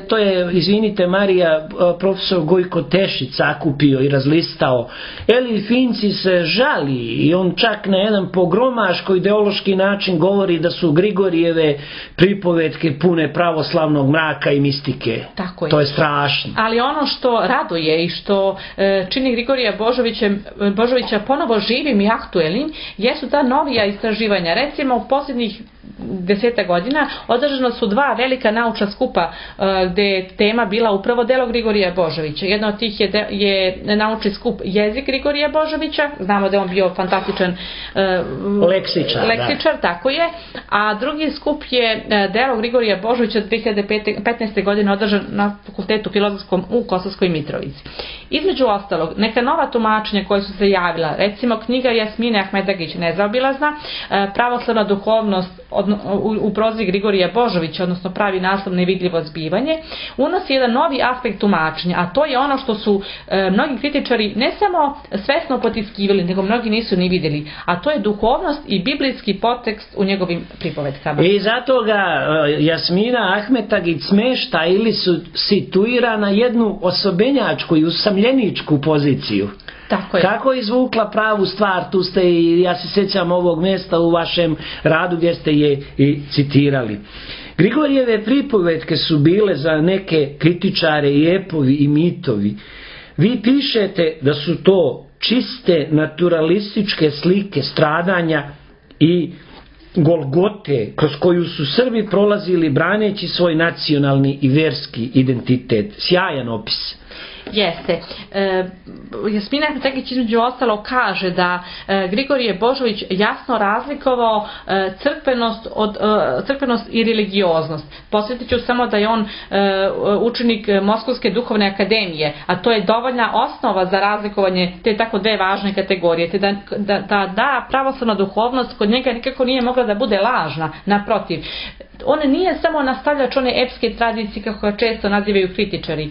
to je, izvinite Marija, profesor Gojko Tešić sakupio i razlistao. Eli Finci se žali i on čak na jedan pogromaško ideološki način govori da su Grigorijeve pripovetke pune pravoslavnog mraka i mistike. Tako je. To je strašno. Ali ono što raduje i što čini Grigorija Božovića ponovo živim i aktuelnim jesu ta novija istraživanja. Recimo, u posljednjih 10 godina održano su 2 velika naučna skupa gdje je tema bila upravo delo Grigorija Božovića. Jedna od tih je naučni skup Jezik Grigorija Božovića, znamo da je on bio fantastičan leksičar, tako je, a drugi skup je delo Grigorija Božovića 2015. godine održan na Fakultetu filozofskom u Kosovskoj Mitrovici. Između ostalog, neka nova tumačenja koja su se javila, recimo knjiga Jasmine Ahmetagić Nezaobilazna, pravoslavna duhovnost u prozi Grigorija Božovića, odnosno pravi naslov Nevidljivo zbivanje, unosi jedan novi aspekt tumačenja, a to je ono što su mnogi kritičari ne samo svesno potiskivali, nego mnogi nisu ni vidjeli, a to je duhovnost i biblijski podtekst u njegovim pripovetkama. I zato ga Jasmina Ahmetagić smešta ili su situira na jednu osobenjačku i usamljeničku poziciju. Kako je izvukla pravu stvar, tu ste i ja se sjećam ovog mjesta u vašem radu gdje ste je i citirali. Grigorijeve pripovetke su bile za neke kritičare i epovi i mitovi. Vi pišete da su to čiste naturalističke slike stradanja i Golgote kroz koju su Srbi prolazili braneći svoj nacionalni i verski identitet. Sjajan opis. Jeste. Jasmina Tekić između ostalo kaže da Grigorije Božović jasno razlikovao crkvenost i religioznost. Posjetit ću samo da je on učenik Moskovske duhovne akademije, a to je dovoljna osnova za razlikovanje te tako dve važne kategorije, te da pravoslavna duhovnost kod njega nikako nije mogla da bude lažna, naprotiv. On nije samo nastavljač one epske tradicije kako ga često nazivaju kritičari.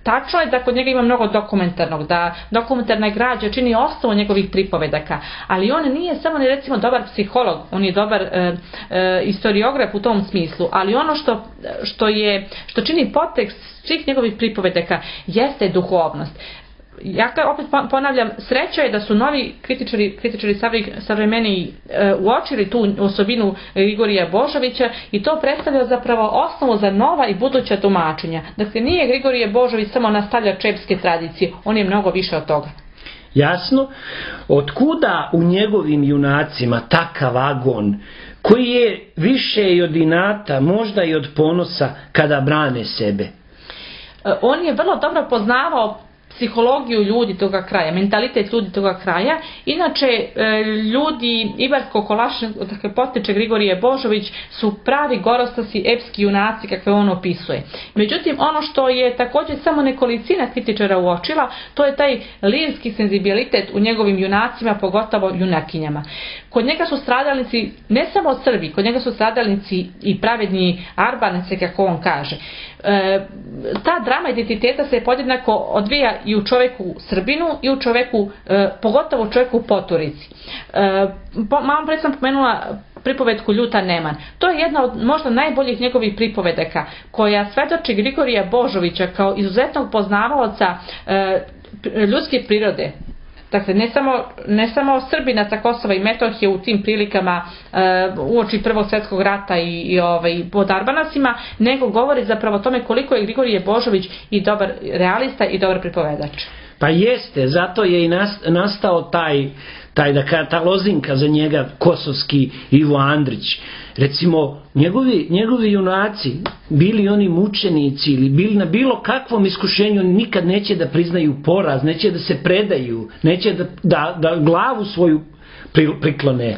Tačno je da kod njega ima mnogo dokumentarnog, da dokumentarna građa čini osnovu njegovih pripovedaka, ali on nije samo ni recimo dobar psiholog, on je dobar istoriograf u tom smislu, ali ono što čini podtekst svih njegovih pripovedaka jeste duhovnost. Ja opet ponavljam, sreća je da su novi kritičari savremeniji uočili tu osobinu Grigorija Božovića i to predstavlja zapravo osnovu za nova i buduća tumačenja. Dakle, nije Grigorije Božović samo nastavljač epske tradicije, on je mnogo više od toga. Jasno, otkuda u njegovim junacima takav agon koji je više i od inata, možda i od ponosa kada brane sebe? On je vrlo dobro poznavao psihologiju ljudi toga kraja, mentalitet ljudi toga kraja. Inače, ljudi Ibarsko-Kolašinskog, dakle potiče Grigorije Božović, su pravi gorostasi, epski junaci kakve on opisuje. Međutim, ono što je također samo nekolicina kritičara uočila, to je taj lirski senzibilitet u njegovim junacima, pogotovo junakinjama. Kod njega su stradalnici ne samo Srbi, kod njega su stradalnici i pravedni Arbanice, kako on kaže. Ta drama identiteta se podjednako odvija i u čoveku Srbinu i u čoveku, pogotovo u čoveku Poturici. Malo pre sam pomenula pripovedku Ljuta Neman. To je jedna od možda najboljih njegovih pripovedaka koja svedoči Grigorija Božovića kao izuzetnog poznavaoca ljudske prirode. Dakle, ne samo Srbina sa Kosova i Metohije u tim prilikama uoči Prvog svjetskog rata i pod Arbanasima, nego govori zapravo o tome koliko je Grigorije Božović i dobar realista i dobar pripovedač. Pa jeste, zato je i nastao ta lozinka za njega kosovski Ivo Andrić. Recimo, njegovi junaci, bili oni mučenici ili bili na bilo kakvom iskušenju, oni nikad neće da priznaju poraz, neće da se predaju, neće da glavu svoju priklone.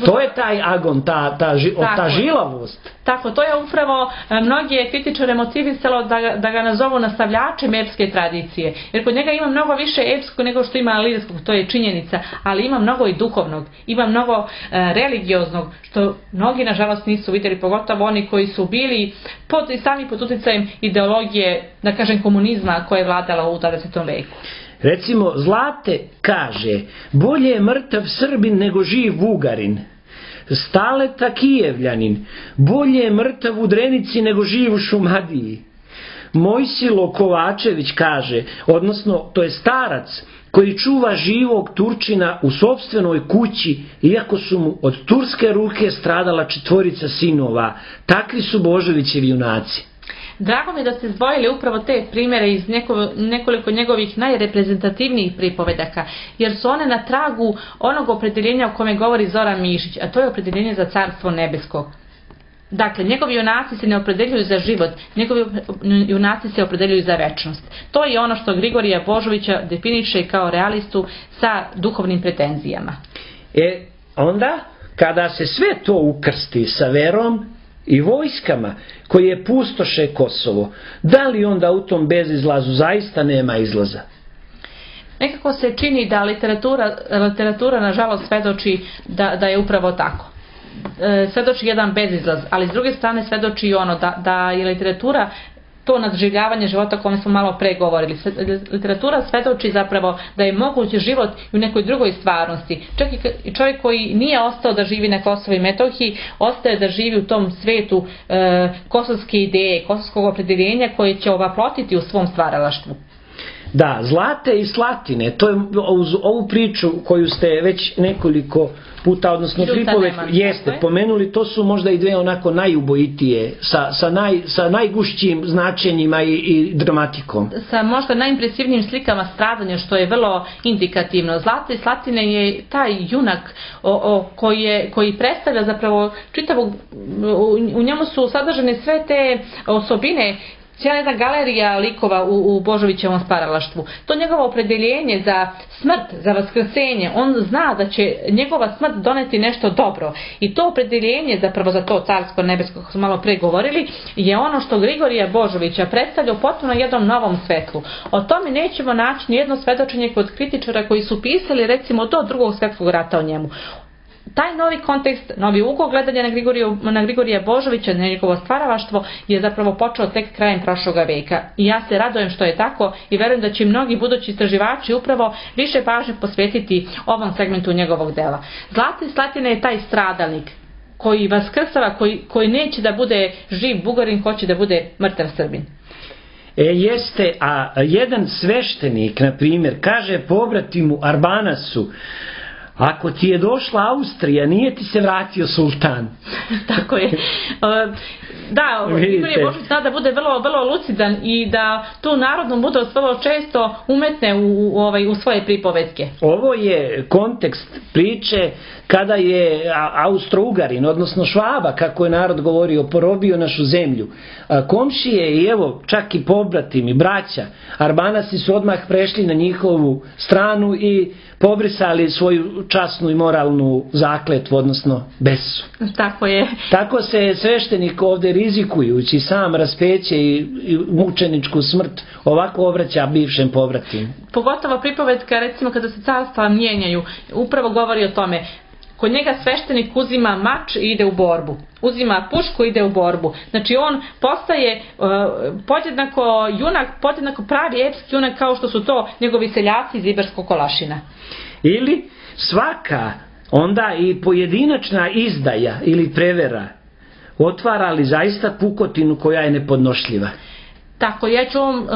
To je taj agon, ta žilavost. Tako, to je upravo mnogi kritičare motivisalo da ga nazovu nastavljačem epske tradicije. Jer kod njega ima mnogo više epskog nego što ima lirskog, to je činjenica, ali ima mnogo i duhovnog, ima mnogo religioznog, što mnogi nažalost nisu vidjeli, pogotovo oni koji su bili sami pod utjecajem ideologije, da kažem, komunizma koja je vladala u 20. veku. Recimo, Zlate kaže, bolje je mrtav Srbin nego živ Bugarin. Staleta Kijevljanin, bolje je mrtav u Drenici nego živ u Šumadiji. Mojsilo Kovačević kaže, odnosno to je starac koji čuva živog Turčina u sopstvenoj kući, iako su mu od turske ruke stradala 4 sinova. Takvi su Božovićevi junaci. Drago mi je da ste izdvojili upravo te primjere iz nekoliko njegovih najreprezentativnijih pripovedaka, jer su one na tragu onog opredeljenja o kome govori Zoran Mišić, a to je opredeljenje za Carstvo nebesko. Dakle, njegovi junaci se ne opredeljuju za život, njegovi junaci se opredeljuju za večnost. To je ono što Grigorija Božovića definiše kao realistu sa duhovnim pretenzijama. Onda, kada se sve to ukrsti sa verom i vojskama koje pustoše Kosovo, da li onda u tom bezizlazu zaista nema izlaza? Nekako se čini da literatura nažalost svedoči da je upravo tako. Svedoči jedan bezizlaz, ali s druge strane svedoči i ono da je literatura to nadživljavanje života o kome smo malo pre govorili. Literatura svedoči zapravo da je moguć život i u nekoj drugoj stvarnosti. Čak i čovjek koji nije ostao da živi na Kosovu i Metohiji, ostaje da živi u tom svetu kosovske ideje, kosovskog opredeljenja koje će ovaplotiti u svom stvaralaštvu. Da, Zlate i Slatine, to je uz ovu priču koju ste već nekoliko puta, odnosno pripoved jeste pomenuli, to su možda i dve onako najubojitije, sa najgušćim značenjima i dramatikom. Sa možda najimpresivnijim slikama stradanja, što je vrlo indikativno. Zlate i Slatine je taj junak koji predstavlja zapravo čitavog, u njemu su sadržane sve te osobine cijela jedna galerija likova u Božovićevom stvaralaštvu. To njegovo opredeljenje za smrt, za vaskrsenje, on zna da će njegova smrt doneti nešto dobro. I to opredeljenje zapravo za to carsko nebesko, kako smo malo pre govorili, je ono što Grigorija Božovića predstavlja u potpuno jednom novom svetlu. O tome nećemo naći nijedno svedočenje kod kritičara koji su pisali recimo do Drugog svjetskog rata o njemu. Taj novi kontekst, novi ugao gledanja na Grigorija Božovića, na njegovo stvaralaštvo je zapravo počeo tek krajem prošloga veka. I ja se radujem što je tako i verujem da će mnogi budući istraživači upravo više pažnje posvetiti ovom segmentu njegovog dela. Zlatni Slatina je taj stradalnik koji vaskrsava, koji neće da bude živ Bugarin, hoće da bude mrtav Srbin. Jeste, a jedan sveštenik, na primjer, kaže pobratimu Arbanasu: ako ti je došla Austrija, nije ti se vratio sultan. Tako je. Da, Grigorije Božović zna da bude vrlo, vrlo lucidan i da tu narodnu mudrost vrlo često umetne u svoje pripovetke. Ovo je kontekst priče kada je Austro-Ugarin, odnosno Švaba, kako je narod govorio, porobio našu zemlju. Komšije i evo čak i pobratimi, braća Arbanasi su odmah prešli na njihovu stranu i pobrisali svoju časnu i moralnu zakletvu, odnosno besu. Tako je. Tako se sveštenik ovde, rizikujući sam raspeće i mučeničku smrt, ovako obraća bivšem povratimu. Pogotovo pripovetka, recimo kada se carstva mijenjaju, upravo govori o tome. Kod njega sveštenik uzima mač i ide u borbu. Uzima pušku i ide u borbu. Znači on postaje podjednako junak, podjednako pravi epski junak kao što su to njegovi seljaci iz Iberskog Kolašina. Ili svaka onda i pojedinačna izdaja ili prevera otvara li zaista pukotinu koja je nepodnošljiva. Tako, ja ću u ovom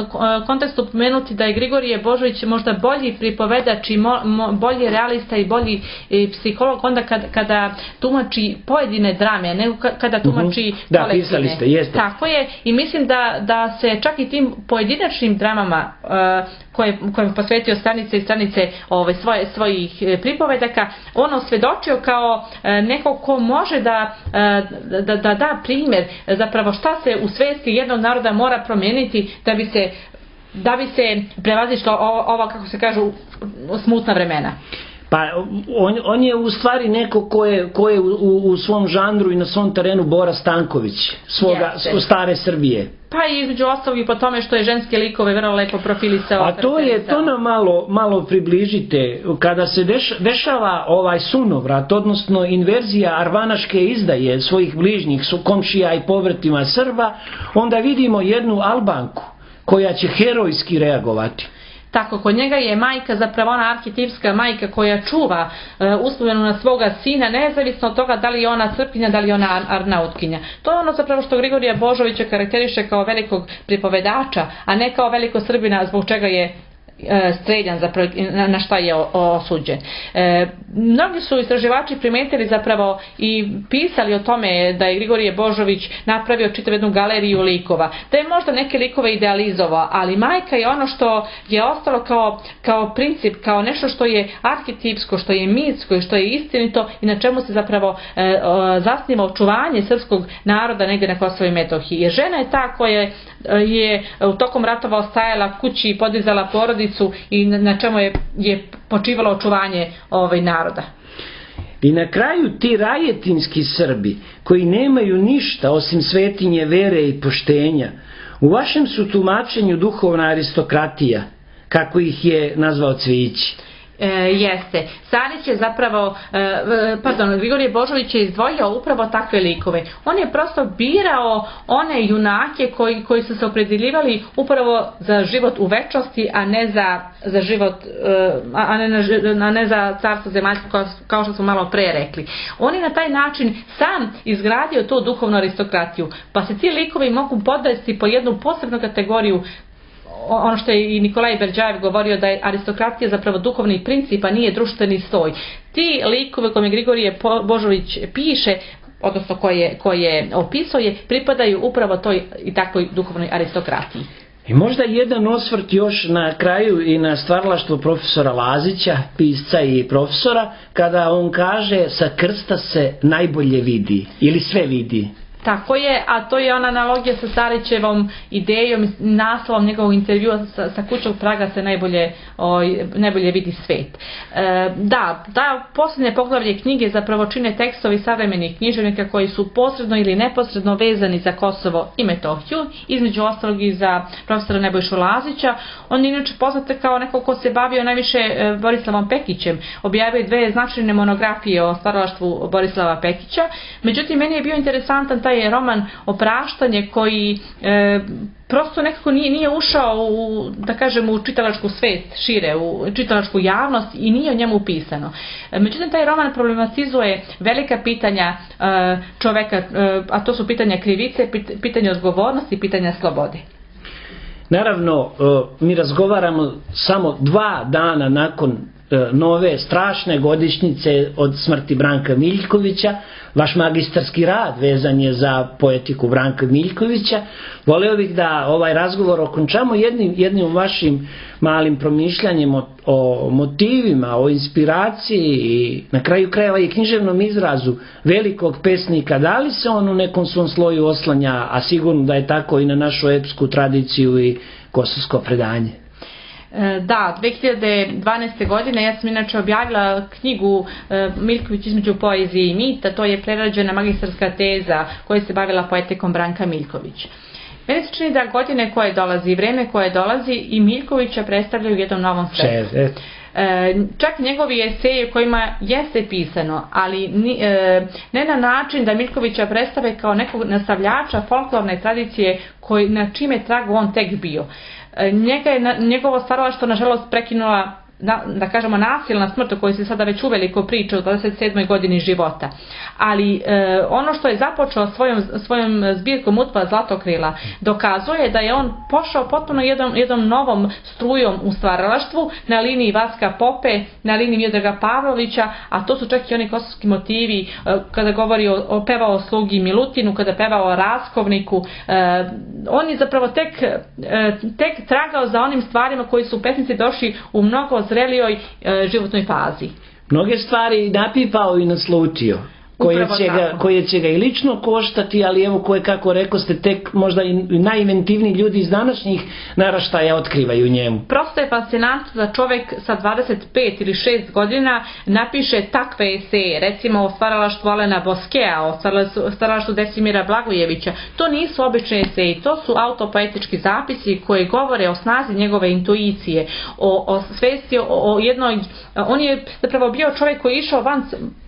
kontekstu pomenuti da je Grigorije Božović možda bolji pripovedač i bolji realista i bolji psiholog onda kada tumači pojedine drame, nego kada tumači kolektivne. Da, pisali ste, jeste. Tako je, i mislim da se čak i tim pojedinačnim dramama kojem posvetio stranice i stranice svojih pripovedaka, on osvedočio kao neko ko može da primjer zapravo šta se u svesti jednog naroda mora promijeniti da bi se prevazišla ova, kako se kažu, smutna vremena. Pa on je u stvari neko ko je u svom žanru i na svom terenu Bora Stanković, stare Srbije. Pa i između ostalog i po tome što je ženske likove vrlo lepo profilisao. A to nam malo približite, kada se dešava ovaj sunovrat, odnosno inverzija arvanaške izdaje svojih bližnjih komšija i povratima Srba, onda vidimo jednu Albanku koja će herojski reagovati. Tako, kod njega je majka zapravo ona arhetipska majka koja čuva uspomenu na svoga sina, nezavisno od toga da li je ona Srpkinja, da li je ona Arnautkinja. To je ono zapravo što Grigorija Božovića karakteriše kao velikog pripovedača, a ne kao veliko Srbina zbog čega je streljan, zapravo na šta je osuđen. Mnogi su istraživači primetili zapravo i pisali o tome da je Grigorije Božović napravio čitav jednu galeriju likova, da je možda neke likove idealizovao, ali majka je ono što je ostalo kao princip, kao nešto što je arhetipsko, što je mitsko i što je istinito i na čemu se zapravo zasniva očuvanje srpskog naroda negdje na Kosovu i Metohiji. Jer žena je ta koja je u tokom ratova ostajala kući i podizala porodicu i na čemu je počivalo očuvanje naroda. I na kraju ti rajetinski Srbi koji nemaju ništa osim svetinje vere i poštenja, u vašem su tumačenju duhovna aristokratija, kako ih je nazvao Cvijić. Jeste. Stanić je zapravo, Grigorije Božović je izdvojio upravo takve likove. On je prosto birao one junake koji su se opredeljivali upravo za život u večnosti, a ne za život, a ne za carstvo zemaljsko, kao što smo malo pre rekli. On je na taj način sam izgradio tu duhovnu aristokratiju, pa se ti likovi mogu podvesti po jednu posebnu kategoriju. Ono što je i Nikolaj Berđajev govorio, da je aristokratija zapravo duhovni princip, a nije društveni sloj. Ti likove koje Grigorije Božović piše, odnosno koje opisuje, pripadaju upravo toj i takvoj duhovnoj aristokratiji. I možda jedan osvrt još na kraju i na stvaralaštvo profesora Lazića, pisca i profesora, kada on kaže sa krsta se najbolje vidi ili sve vidi. Tako je, a to je ona analogija sa Starićevom idejom i naslovom njegovog intervjua sa kućog praga se najbolje vidi svet. Da, posljednje poglavlje knjige zapravo čine tekstovi savremenih književnika koji su posredno ili neposredno vezani za Kosovo i Metohiju, između ostalog i za profesora Nebojšu Lazića. On je inače poznat kao neko ko se bavio najviše Borislavom Pekićem, objavio je 2 značajne monografije o stvaralaštvu Borislava Pekića. Međutim, meni je bio interesantan taj roman Opraštanje koji prosto nekako nije ušao u čitalačku svest šire, u čitalačku javnost i nije o njemu pisano. Međutim, taj roman problematizuje velika pitanja čoveka, a to su pitanja krivice, pitanja odgovornosti, pitanja slobode. Naravno, mi razgovaramo samo 2 dana nakon nove strašne godišnjice od smrti Branka Miljkovića. Vaš magistarski rad vezan je za poetiku Branka Miljkovića. Voleo bih da ovaj razgovor okončamo jednim vašim malim promišljanjem o motivima, o inspiraciji i na kraju krajeva i književnom izrazu velikog pesnika. Da li se on u nekom svom sloju oslanja, a sigurno da je tako i na našu epsku tradiciju i kosovsko predanje? Da, 2012. godine ja sam inače objavila knjigu Miljković između poezije i mita, to je prerađena magistarska teza koja se bavila poetikom Branka Miljkovića. Meni se čini da godine koje dolazi i vreme koje dolazi i Miljkovića predstavljaju u jednom novom svetu. Čak njegovi eseji kojima jeste pisano, ali ne na način da Miljkovića predstave kao nekog nastavljača folklorne tradicije na čime tragu on tek bio. Njegovo stvaralaštvo nažalost prekinula, da kažemo, nasilna smrt o kojoj se sada već uveliko priča u 27. godini života. Ali ono što je započeo svojom zbirkom Utva Zlatokrila dokazuje da je on pošao potpuno jednom novom strujom u stvaralaštvu na liniji Vaska Pope, na liniji Miodraga Pavlovića, a to su čak i oni kosovski motivi kada govori pevao o slugi Milutinu, kada pevao o Raskovniku. On je zapravo tek tragao za onim stvarima koji su pesnici došli u mnogo zrelijoj životnoj fazi. Mnoge stvari napipao i naslučio, koje će ga i lično koštati, ali evo koje, kako rekao ste, tek možda i najinventivniji ljudi iz današnjih naraštaja otkrivaju njemu. Prosto je fascinantno da čovjek sa 25 ili 6 godina napiše takve eseje, recimo o stvaralaštvu Alena Boskea, o stvaralaštvu Desimira Blagojevića. To nisu obični eseji, to su autopoetički zapisi koji govore o snazi njegove intuicije, o svesti, o jednoj... On je zapravo bio čovjek koji je išao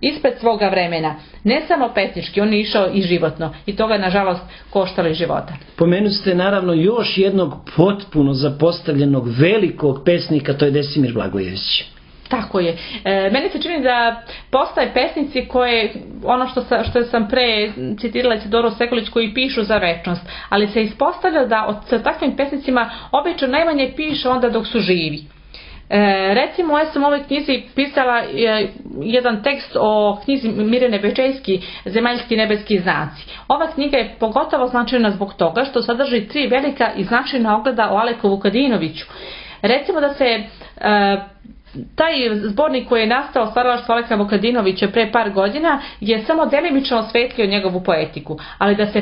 ispred svoga vremena. Ne samo pesnički, on je išao i životno i toga je nažalost koštalo i života. Pomenuli ste naravno još jednog potpuno zapostavljenog velikog pesnika, to je Desimir Blagojević. Tako je. Meni se čini da postoje pesnici koje, ono što sam pre citirala Isidoru Sekulić, koji pišu za večnost, ali se ispostavlja da sa takvim pesnicima obično najmanje piše onda dok su živi. Recimo, ja sam u ovoj knjizi pisala jedan tekst o knjizi Mirjane Bečejski, Zemaljski nebeski znaci. Ova knjiga je pogotovo značajna zbog toga što sadrži 3 velika i značajna ogleda o Aleku Vukadinoviću. Recimo da se taj zbornik koji je nastao stvaralaštvo Aleka Vukadinovića pre par godina je samo delimično osvetlio njegovu poetiku, ali da se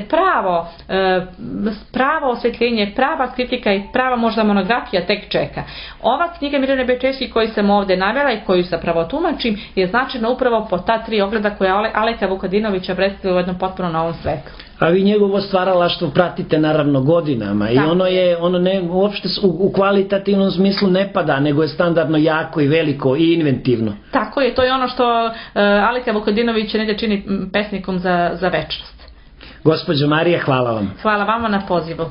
pravo osvetljenje, prava kritika i prava možda monografija tek čeka. Ova knjiga Mirjane Bečejski koju sam ovdje navela i koju zapravo tumačim je značajna upravo po ta 3 ogleda koja Aleka Vukadinovića predstavlja u jednom potpuno novom svetu. A vi njegovo stvaralaštvo pratite naravno godinama i ono ne uopšte u kvalitativnom smislu ne pada, nego je standardno jako i veliko i inventivno. Tako je, to je ono što Aleka Vukadinović negdje čini pesnikom za večnost. Gospođo Marija, hvala vam. Hvala vama na pozivu.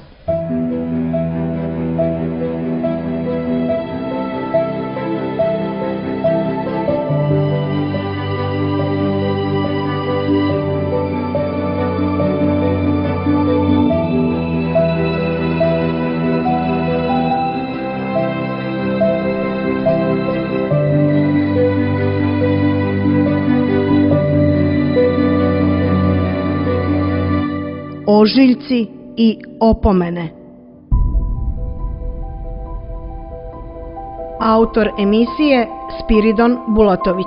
Ožiljci i opomene. Autor emisije Spiridon Bulatović.